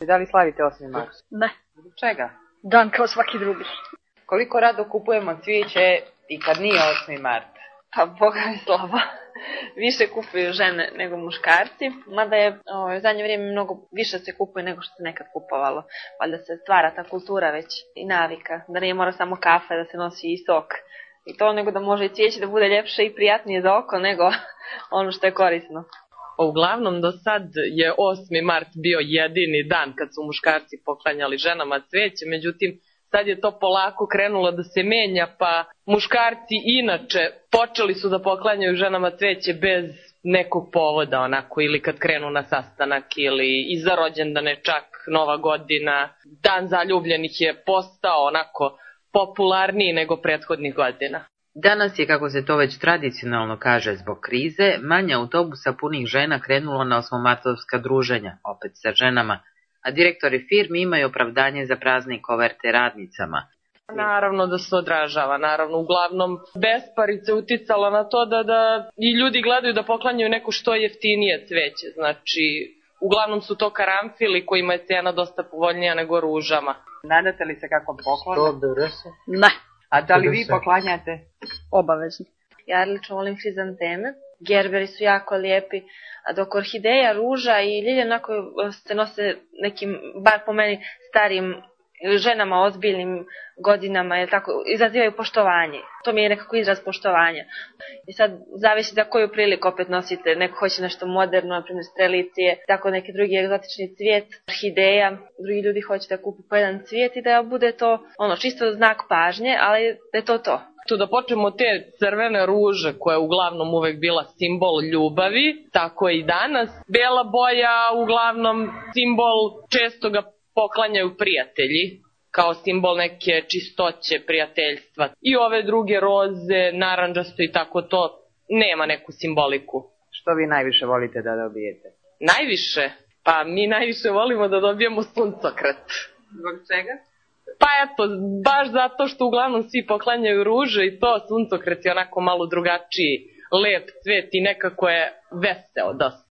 Da li slavite 8. mart? Ne, Zbog čega? dan kao svaki drugi. Koliko rado kupujemo cvijeće i kad nije 8. mart? Pa Boga mi slava. Više kupuju žene nego muškarci, mada je u zadnje vrijeme mnogo više se kupuje nego što se nekad kupovalo. Valjda se stvara ta kultura već i navika, da nije mora samo kafe, da se nosi i sok. I to nego da može i cvijeće da bude ljepše i prijatnije za oko nego ono što je korisno. Uglavnom, do sad je 8. mart bio jedini dan kad su muškarci poklanjali ženama cvijeće, međutim, sad je to polako krenulo da se menja, pa muškarci inače počeli su da poklanjaju ženama cvijeće bez nekog povoda, onako, ili kad krenu na sastanak, ili i za rođendane, čak Nova godina. Dan zaljubljenih je postao onako popularniji nego prethodnih godina. Danas je, kako se to već tradicionalno kaže zbog krize, manje autobusa punih žena krenulo na osmomartovska druženja, opet sa ženama, a direktori firmi imaju opravdanje za prazne koverte radnicama. Naravno da se odražava, naravno, uglavnom besparice uticalo na to da i ljudi gledaju da poklanjaju neko što jeftinije cveće, znači uglavnom su to karamfili kojima je cena dosta povoljnija nego ružama. Nadate li se kakvom poklonu? Ne, A da li vi poklanjate? obavezno. Ja lično volim hrizanteme, gerberi su jako lijepi, a dok orhideja, ruža i ljilje onako se nose nekim, bar po meni, starijim ženama, ozbiljnim godinama, jer tako, izazivaju poštovanje. To mi je nekako izraz poštovanja. I sad zavisi za koju priliku opet nosite. Neko hoće nešto moderno, na primjer strelicije, tako neki drugi egzotični cvijet, orhideja. Drugi ljudi hoće da kupu po jedan cvijet i da bude to čisto znak pažnje, ali da je to to. Tu da počnemo od te crvene ruže koja je uglavnom uvek bila simbol ljubavi, tako je i danas. Bela boja uglavnom simbol, često ga poklanjaju prijatelji, kao simbol neke čistoće, prijateljstva. I ove druge roze, narandžasto i tako to, nema neku simboliku. Što vi najviše volite da dobijete? Najviše? Pa mi najviše volimo da dobijemo suncokret. Zbog čega? Pa eto, baš zato što uglavnom svi poklanjaju ruže i to, suncokret je onako malo drugačiji, lep cvet i nekako je veseo dosta.